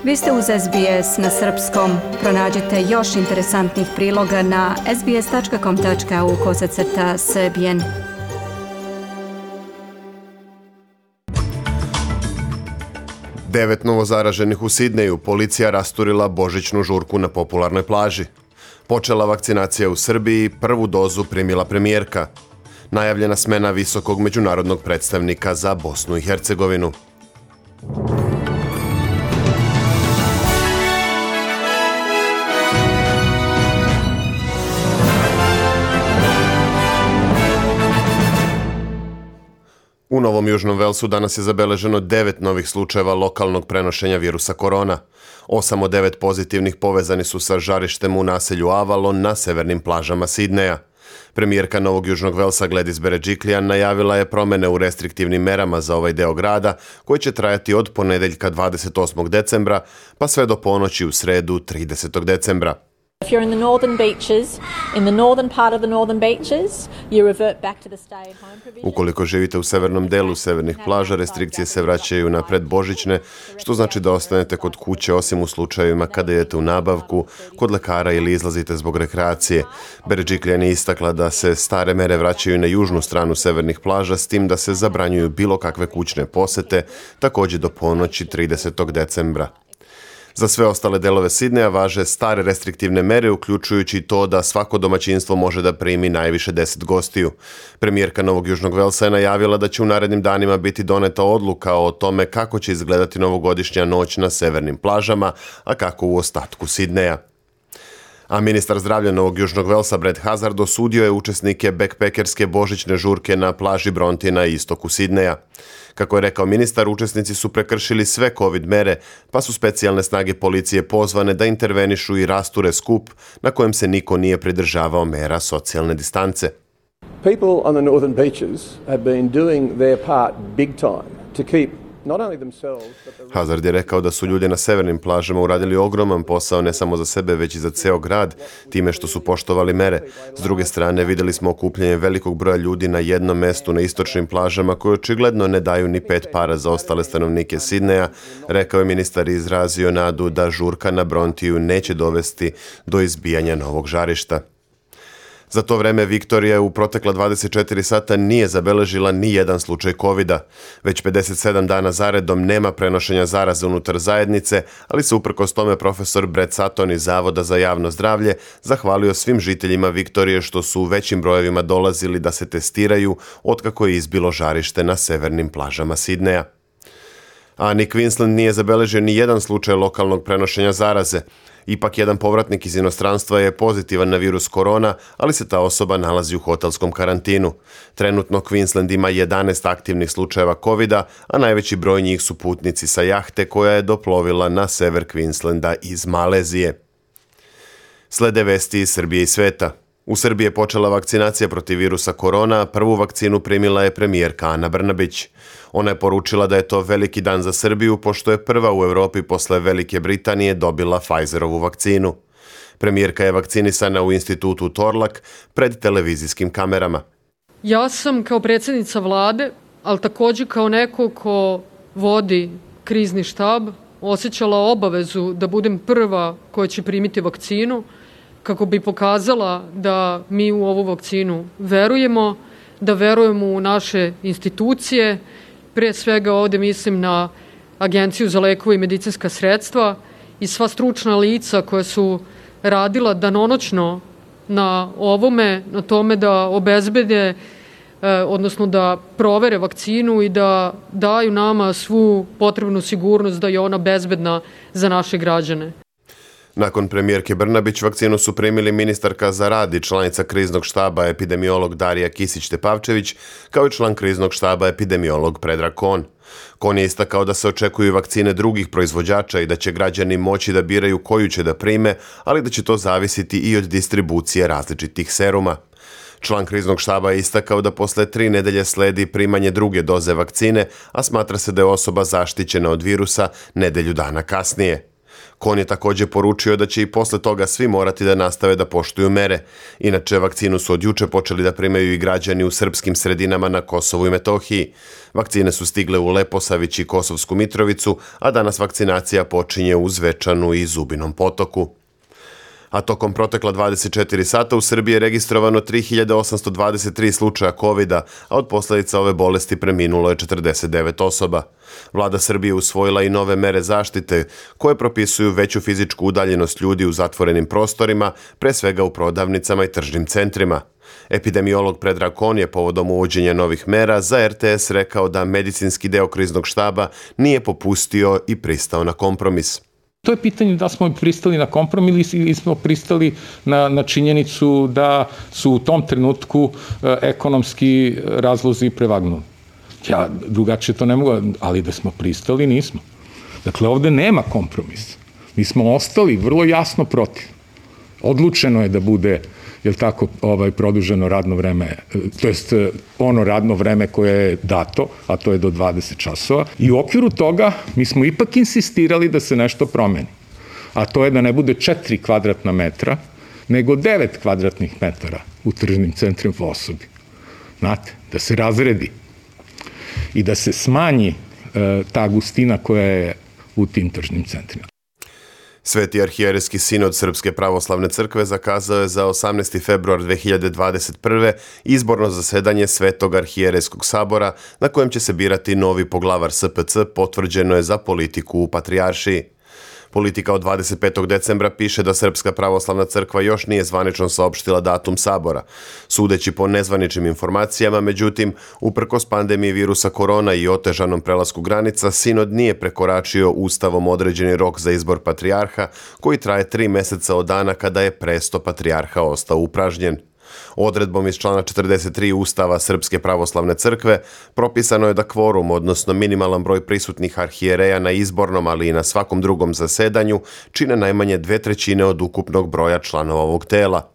Vi ste uz SBS na srpskom. Pronađite još interesantnih priloga na sbs.com.au/srbijen. Devet novozaraženih u Sidneju, policija rasturila božićnu žurku na popularnoj plaži. Počela vakcinacija u Srbiji, prvu dozu primila premijerka. Najavljena smena visokog međunarodnog predstavnika za Bosnu i Hercegovinu. U Novom Južnom Velsu danas je zabeleženo 9 novih slučajeva lokalnog prenošenja virusa korona. 8 od 9 pozitivnih povezani su sa žarištem u naselju Avalon na severnim plažama Sidneja. Premijerka Novog Južnog Velsa Gladys Berejiklian najavila je promene u restriktivnim merama za ovaj deo grada koji će trajati od ponedeljka 28. decembra pa sve do ponoći u sredu 30. decembra. If you're in the northern beaches, in the northern part of the northern beaches, you revert back to the stay at home provision. Ukoliko živite u severnom delu severnih plaža, restrikcije se vraćaju na predbožićne, što znači da ostanete kod kuće osim u slučajevima kada idete u nabavku, kod lekara ili izlazite zbog rekreacije. Berejiklian je istakla da se stare mere vraćaju na južnu stranu severnih plaža, s tim da se zabranjuju bilo kakve kućne posete, također do ponoći 30. decembra. Za sve ostale delove Sidneja važe stare restriktivne mere, uključujući to da svako domaćinstvo može da primi najviše 10 gostiju. Premijerka Novog Južnog Velsa je najavila da će u narednim danima biti doneta odluka o tome kako će izgledati novogodišnja noć na severnim plažama, a kako u ostatku Sidneja. A ministar zdravlja Novog Južnog Velsa Brad Hazzard osudio je učesnike backpackerske božićne žurke na plaži Bronte na istoku Sidneja. Kako je rekao ministar, učesnici su prekršili sve COVID mere, pa su specijalne snage policije pozvane da intervenišu i rasture skup na kojem se niko nije pridržavao mera socijalne distance. People on the northern beaches have been doing their part big time to keep not only themselves but the... Hazzard je rekao da su ljudi na severnim plažama uradili ogroman posao ne samo za sebe, već i za ceo grad, time što su poštovali mere. S druge strane, vidjeli smo okupljanje velikog broja ljudi na jednom mestu na istočnim plažama koje očigledno ne daju ni 5 para za ostale stanovnike Sidneja, rekao je ministar i izrazio nadu da žurka na Brontiju neće dovesti do izbijanja novog žarišta. Za to vreme Viktorija u protekla 24 sata nije zabeležila ni jedan slučaj COVID-a. Već 57 dana zaredom nema prenošenja zaraze unutar zajednice, ali se uprkos tome profesor Brett Sutton iz Zavoda za javno zdravlje zahvalio svim žiteljima Viktorije što su u većim brojevima dolazili da se testiraju otkako je izbilo žarište na severnim plažama Sidneja. A ni Queensland nije zabeležio ni jedan slučaj lokalnog prenošenja zaraze. Ipak jedan povratnik iz inostranstva je pozitivan na virus korona, ali se ta osoba nalazi u hotelskom karantinu. Trenutno Queensland ima 11 aktivnih slučajeva COVID-a, a najveći broj njih su putnici sa jahte koja je doplovila na sever Queenslanda iz Malezije. Slede vesti iz Srbije i sveta. U Srbiji je počela vakcinacija protiv virusa korona, prvu vakcinu primila je premijerka Ana Brnabić. Ona je poručila da je to veliki dan za Srbiju, pošto je prva u Evropi posle Velike Britanije dobila Pfizerovu vakcinu. Premijerka je vakcinisana u institutu Torlak pred televizijskim kamerama. Ja sam kao predsjednica vlade, ali također kao neko ko vodi krizni štab, osjećala obavezu da budem prva koja će primiti vakcinu, kako bi pokazala da mi u ovu vakcinu verujemo, da verujemo u naše institucije. Prije svega ovdje mislim na Agenciju za lekove i medicinska sredstva i sva stručna lica koja su radila danonoćno na ovome, na tome da obezbede, odnosno da provere vakcinu i da daju nama svu potrebnu sigurnost da je ona bezbedna za naše građane. Nakon premijerke Brnabić vakcinu su primili ministarka za rad i članica kriznog štaba epidemiolog Darija Kisić-Tepavčević, kao i član kriznog štaba epidemiolog Predrag Kon. Kon je istakao da se očekuju vakcine drugih proizvođača i da će građani moći da biraju koju će da prime, ali da će to zavisiti i od distribucije različitih seruma. Član kriznog štaba je istakao da posle 3 nedelje sledi primanje druge doze vakcine, a smatra se da je osoba zaštićena od virusa nedelju dana kasnije. Kon je također poručio da će i posle toga svi morati da nastave da poštuju mere. Inače, vakcinu su od juče počeli da primaju i građani u srpskim sredinama na Kosovu i Metohiji. Vakcine su stigle u Leposavić i Kosovsku Mitrovicu, a danas vakcinacija počinje u Zvečanu i Zubinom Potoku. A tokom protekla 24 sata u Srbiji je registrovano 3823 slučaja COVID-a, a od posljedica ove bolesti preminulo je 49 osoba. Vlada Srbije usvojila i nove mere zaštite, koje propisuju veću fizičku udaljenost ljudi u zatvorenim prostorima, pre svega u prodavnicama i tržnim centrima. Epidemiolog Predrag Kon je povodom uvođenja novih mera za RTS rekao da medicinski deo kriznog štaba nije popustio i pristao na kompromis. To je pitanje da smo pristali na kompromis ili smo pristali na činjenicu da su u tom trenutku ekonomski razlozi prevagnuli. Ja drugačije to ne mogu, ali da smo pristali, nismo. Dakle, ovde nema kompromisa. Mi smo ostali vrlo jasno protiv. Odlučeno je da bude, jel tako, produženo radno vreme, to jest ono radno vreme koje je dato, a to je do 20 časova. I u okviru toga mi smo ipak insistirali da se nešto promeni. A to je da ne bude 4 kvadratna metra, nego 9 kvadratnih metara u tržnim centrima po osobi. Znate, da se razredi i da se smanji ta gustina koja je u tim tržnim centrima. Sveti arhijerejski sinod Srpske pravoslavne crkve zakazao je za 18. februar 2021. izborno zasedanje Svetog arhijerejskog sabora na kojem će se birati novi poglavar SPC, potvrđeno je za politiku u Patrijaršiji. Politika od 25. decembra piše da Srpska pravoslavna crkva još nije zvanično saopštila datum sabora. Sudeći po nezvaničnim informacijama, međutim, uprkos pandemiji virusa korona i otežanom prelasku granica, sinod nije prekoračio ustavom određeni rok za izbor patrijarha, koji traje 3 meseca od dana kada je presto patrijarha ostao upražnjen. Odredbom iz člana 43 Ustava Srpske pravoslavne crkve propisano je da kvorum, odnosno minimalan broj prisutnih arhijereja na izbornom, ali i na svakom drugom zasedanju, čine najmanje 2/3 od ukupnog broja članova ovog tela.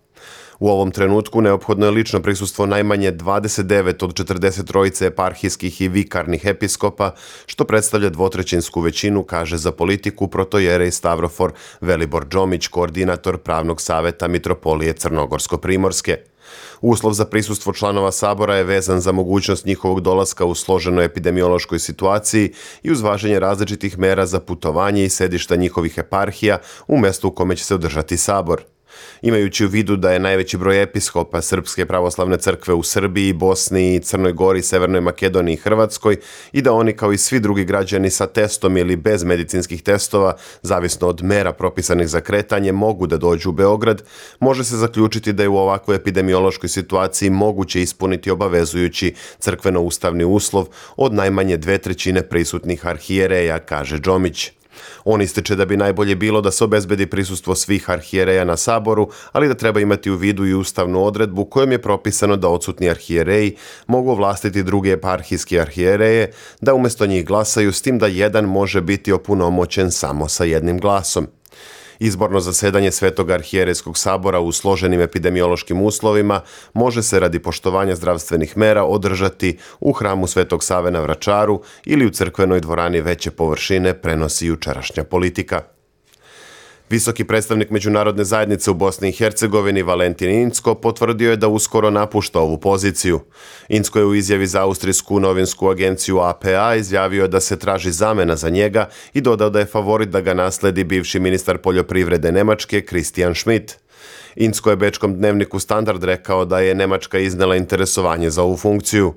U ovom trenutku neophodno je lično prisustvo najmanje 29 od 43 eparhijskih i vikarnih episkopa, što predstavlja 2/3 većinu, kaže za politiku protojerej Stavrofor Velibor Džomić, koordinator pravnog saveta Mitropolije Crnogorsko-Primorske. Uslov za prisustvo članova sabora je vezan za mogućnost njihovog dolaska u složenoj epidemiološkoj situaciji i uz važenje različitih mera za putovanje i sedišta njihovih eparhija u mestu u kome će se održati sabor. Imajući u vidu da je najveći broj episkopa Srpske pravoslavne crkve u Srbiji, Bosni, Crnoj Gori, Severnoj Makedoniji i Hrvatskoj i da oni kao i svi drugi građani sa testom ili bez medicinskih testova, zavisno od mera propisanih za kretanje, mogu da dođu u Beograd, može se zaključiti da je u ovakvoj epidemiološkoj situaciji moguće ispuniti obavezujući crkveno-ustavni uslov od najmanje 2/3 prisutnih arhijereja, kaže Džomić. On ističe da bi najbolje bilo da se obezbedi prisustvo svih arhijereja na saboru, ali da treba imati u vidu i ustavnu odredbu kojom je propisano da odsutni arhijereji mogu ovlastiti druge eparhijske arhijereje da umjesto njih glasaju, s tim da jedan može biti opunomoćen samo sa jednim glasom. Izborno zasedanje Svetog arhijerejskog sabora u složenim epidemiološkim uslovima može se radi poštovanja zdravstvenih mera održati u hramu Svetog Save na Vračaru ili u crkvenoj dvorani veće površine, prenosi jučerašnja politika. Visoki predstavnik međunarodne zajednice u Bosni i Hercegovini Valentin Incko potvrdio je da uskoro napušta ovu poziciju. Incko je u izjavi za austrijsku novinsku agenciju APA izjavio da se traži zamena za njega i dodao da je favorit da ga nasledi bivši ministar poljoprivrede Nemačke Christian Schmidt. Incko je bečkom dnevniku Standard rekao da je Nemačka iznela interesovanje za ovu funkciju.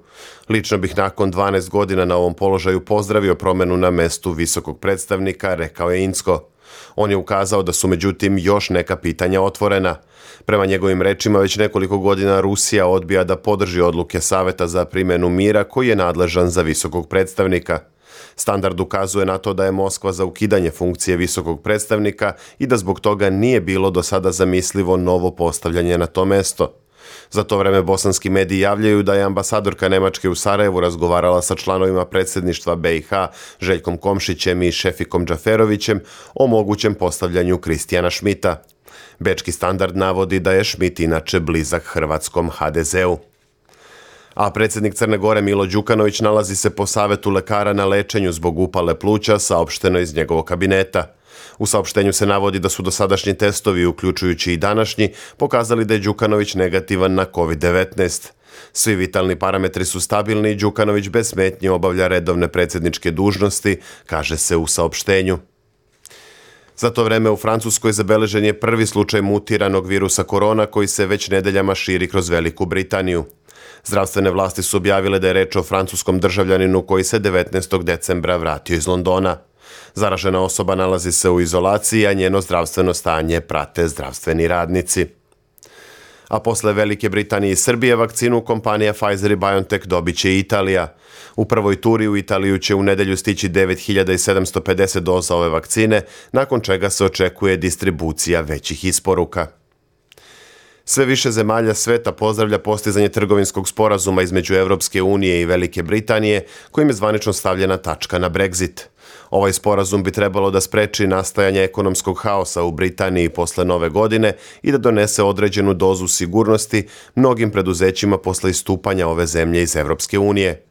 Lično bih nakon 12 godina na ovom položaju pozdravio promenu na mestu visokog predstavnika, rekao je Incko. On je ukazao da su međutim još neka pitanja otvorena. Prema njegovim rečima već nekoliko godina Rusija odbija da podrži odluke Saveta za primjenu mira koji je nadležan za visokog predstavnika. Standard ukazuje na to da je Moskva za ukidanje funkcije visokog predstavnika i da zbog toga nije bilo do sada zamislivo novo postavljanje na to mesto. Za to vreme bosanski mediji javljaju da je ambasadorka Nemačke u Sarajevu razgovarala sa članovima predsjedništva BiH Željkom Komšićem i Šefikom Džaferovićem o mogućem postavljanju Kristijana Šmita. Bečki Standard navodi da je Šmit inače blizak hrvatskom HDZ-u. A predsjednik Crne Gore Milo Đukanović nalazi se po savetu lekara na lečenju zbog upale pluća, saopšteno iz njegovog kabineta. U saopštenju se navodi da su dosadašnji testovi, uključujući i današnji, pokazali da je Đukanović negativan na COVID-19. Svi vitalni parametri su stabilni i Đukanović bez smetnje obavlja redovne predsjedničke dužnosti, kaže se u saopštenju. Za to vreme u Francuskoj zabeležen je prvi slučaj mutiranog virusa korona koji se već nedeljama širi kroz Veliku Britaniju. Zdravstvene vlasti su objavile da je reč o francuskom državljaninu koji se 19. decembra vratio iz Londona. Zaražena osoba nalazi se u izolaciji, a njeno zdravstveno stanje prate zdravstveni radnici. A posle Velike Britanije i Srbije vakcinu kompanija Pfizer i BioNTech dobit će i Italija. U prvoj turi u Italiju će u nedelju stići 9750 doza ove vakcine, nakon čega se očekuje distribucija većih isporuka. Sve više zemalja sveta pozdravlja postizanje trgovinskog sporazuma između Evropske unije i Velike Britanije, kojim je zvanično stavljena tačka na Brexit. Ovaj sporazum bi trebalo da spreči nastajanje ekonomskog haosa u Britaniji posle Nove godine i da donese određenu dozu sigurnosti mnogim preduzećima posle istupanja ove zemlje iz Evropske unije.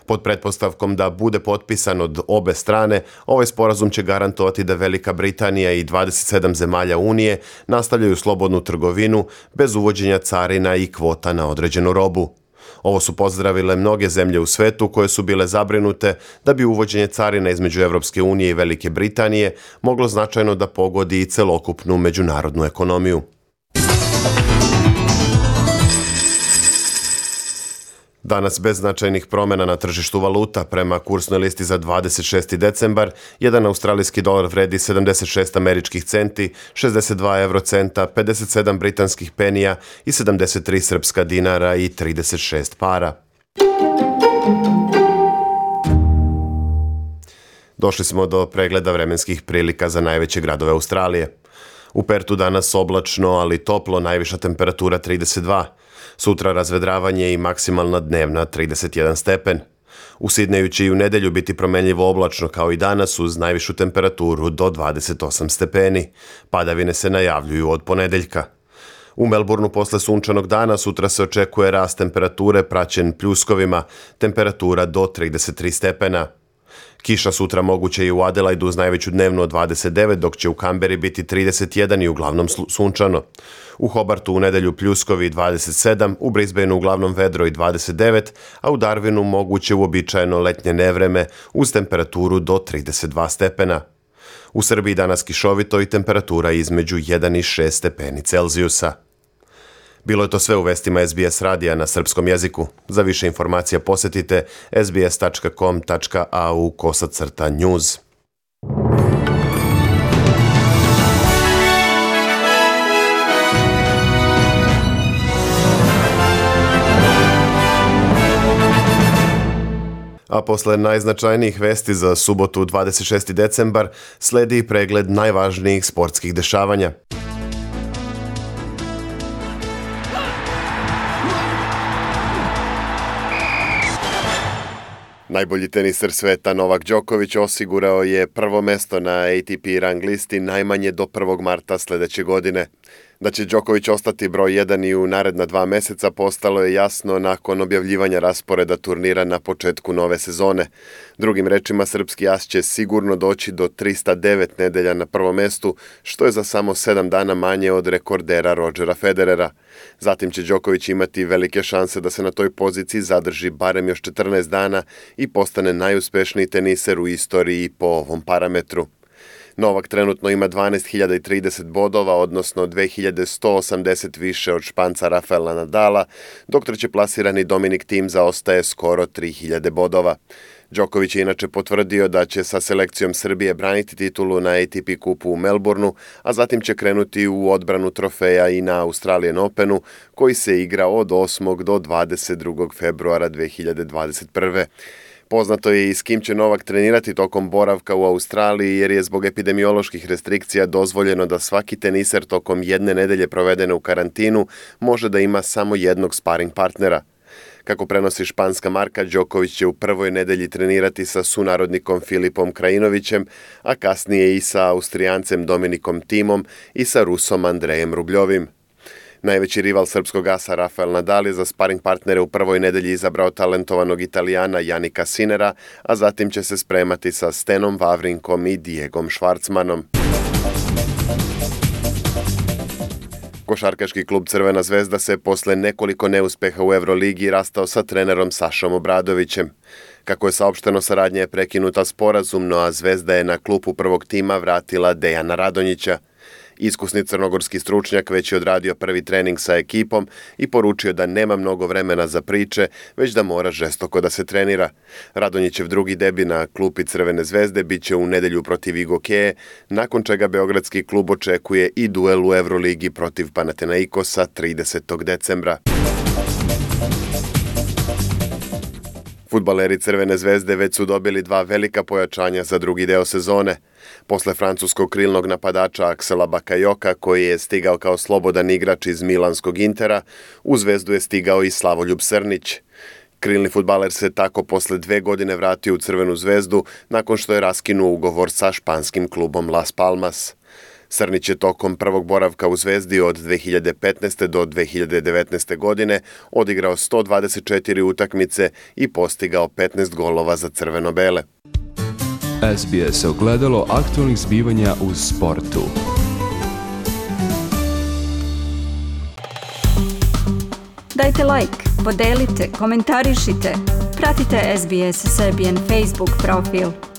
Pod pretpostavkom da bude potpisan od obe strane, ovaj sporazum će garantovati da Velika Britanija i 27 zemalja Unije nastavljaju slobodnu trgovinu bez uvođenja carina i kvota na određenu robu. Ovo su pozdravile mnoge zemlje u svetu koje su bile zabrinute da bi uvođenje carina između Evropske unije i Velike Britanije moglo značajno da pogodi i celokupnu međunarodnu ekonomiju. Danas bez značajnih promjena na tržištu valuta. Prema kursnoj listi za 26. decembar, jedan australijski dolar vredi 76 američkih centi, 62 eurocenta, 57 britanskih penija i 73 srpska dinara i 36 para. Došli smo do pregleda vremenskih prilika za najveće gradove Australije. U Pertu danas oblačno, ali toplo, najviša temperatura 32. Sutra razvedravanje i maksimalna dnevna 31 stepen. U Sidneju će i u nedelju biti promenljivo oblačno kao i danas uz najvišu temperaturu do 28 stepeni. Padavine se najavljuju od ponedeljka. U Melbourneu posle sunčanog dana sutra se očekuje rast temperature praćen pljuskovima, temperatura do 33 stepena. Kiša sutra moguće i u Adelaidu uz najveću dnevnu od 29, dok će u Kamberi biti 31 i uglavnom sunčano. U Hobartu u nedelju pljuskovi 27, u Brisbaneu uglavnom vedro i 29, a u Darwinu moguće uobičajeno letnje nevreme uz temperaturu do 32 stepena. U Srbiji danas kišovito i temperatura između 1 i 6 stepeni Celzijusa. Bilo je to sve u vestima SBS radija na srpskom jeziku. Za više informacija posetite sbs.com.au/news. A posle najznačajnijih vesti za subotu 26. decembar sledi pregled najvažnijih sportskih dešavanja. Najbolji teniser sveta Novak Đoković osigurao je prvo mesto na ATP rang listi najmanje do 1. marta sledeće godine. Da će Đoković ostati broj 1 i u naredna 2 meseca postalo je jasno nakon objavljivanja rasporeda turnira na početku nove sezone. Drugim rečima, srpski as će sigurno doći do 309 nedelja na prvom mestu, što je za samo 7 dana manje od rekordera Rodgera Federera. Zatim će Đoković imati velike šanse da se na toj poziciji zadrži barem još 14 dana i postane najuspešniji teniser u istoriji po ovom parametru. Novak trenutno ima 12.030 bodova, odnosno 2.180 više od Španca Rafaela Nadala, dok treće plasirani Dominic Thiem zaostaje skoro 3.000 bodova. Đoković je inače potvrdio da će sa selekcijom Srbije braniti titulu na ATP kupu u Melbourneu, a zatim će krenuti u odbranu trofeja i na Australian Openu, koji se igra od 8. do 22. februara 2021. Poznato je i s kim će Novak trenirati tokom boravka u Australiji, jer je zbog epidemioloških restrikcija dozvoljeno da svaki teniser tokom jedne nedelje provedene u karantinu može da ima samo jednog sparing partnera. Kako prenosi španska marka, Đoković će u prvoj nedelji trenirati sa sunarodnikom Filipom Krajinovićem, a kasnije i sa Austrijancem Dominikom Thiemom i sa Rusom Andrejem Rubljovim. Najveći rival srpskog asa Rafael Nadal je za sparing partnere u prvoj nedelji izabrao talentovanog Italijana Jannika Sinnera, a zatim će se spremati sa Stenom Wawrinkom i Diegom Schwartzmanom. Košarkaški klub Crvena zvezda se posle nekoliko neuspeha u Euroligi rastao sa trenerom Sašom Obradovićem. Kako je saopšteno, saradnja je prekinuta sporazumno, a Zvezda je na klupu prvog tima vratila Dejana Radonjića. Iskusni crnogorski stručnjak već je odradio prvi trening sa ekipom i poručio da nema mnogo vremena za priče, već da mora žestoko da se trenira. Radonjićev drugi debi na klupi Crvene zvezde biće u nedelju protiv Igokeje, nakon čega beogradski klub očekuje i duel u Euroligi protiv Panathinaikosa 30. decembra. Fudbaleri Crvene zvezde već su dobili 2 velika pojačanja za drugi deo sezone. Posle francuskog krilnog napadača Aksela Bakajoka, koji je stigao kao slobodan igrač iz milanskog Intera, u Zvezdu je stigao i Slavoljub Srnić. Krilni fudbaler se tako posle 2 godine vratio u Crvenu zvezdu nakon što je raskinuo ugovor sa španskim klubom Las Palmas. Srnić je tokom prvog boravka u Zvezdi od 2015. do 2019. godine odigrao 124 utakmice i postigao 15 golova za crveno-bele. SBS ogledalo aktualnih zbivanja u sportu. Dajte like, podelite, komentarišite. Pratite SBS Serbian Facebook profil.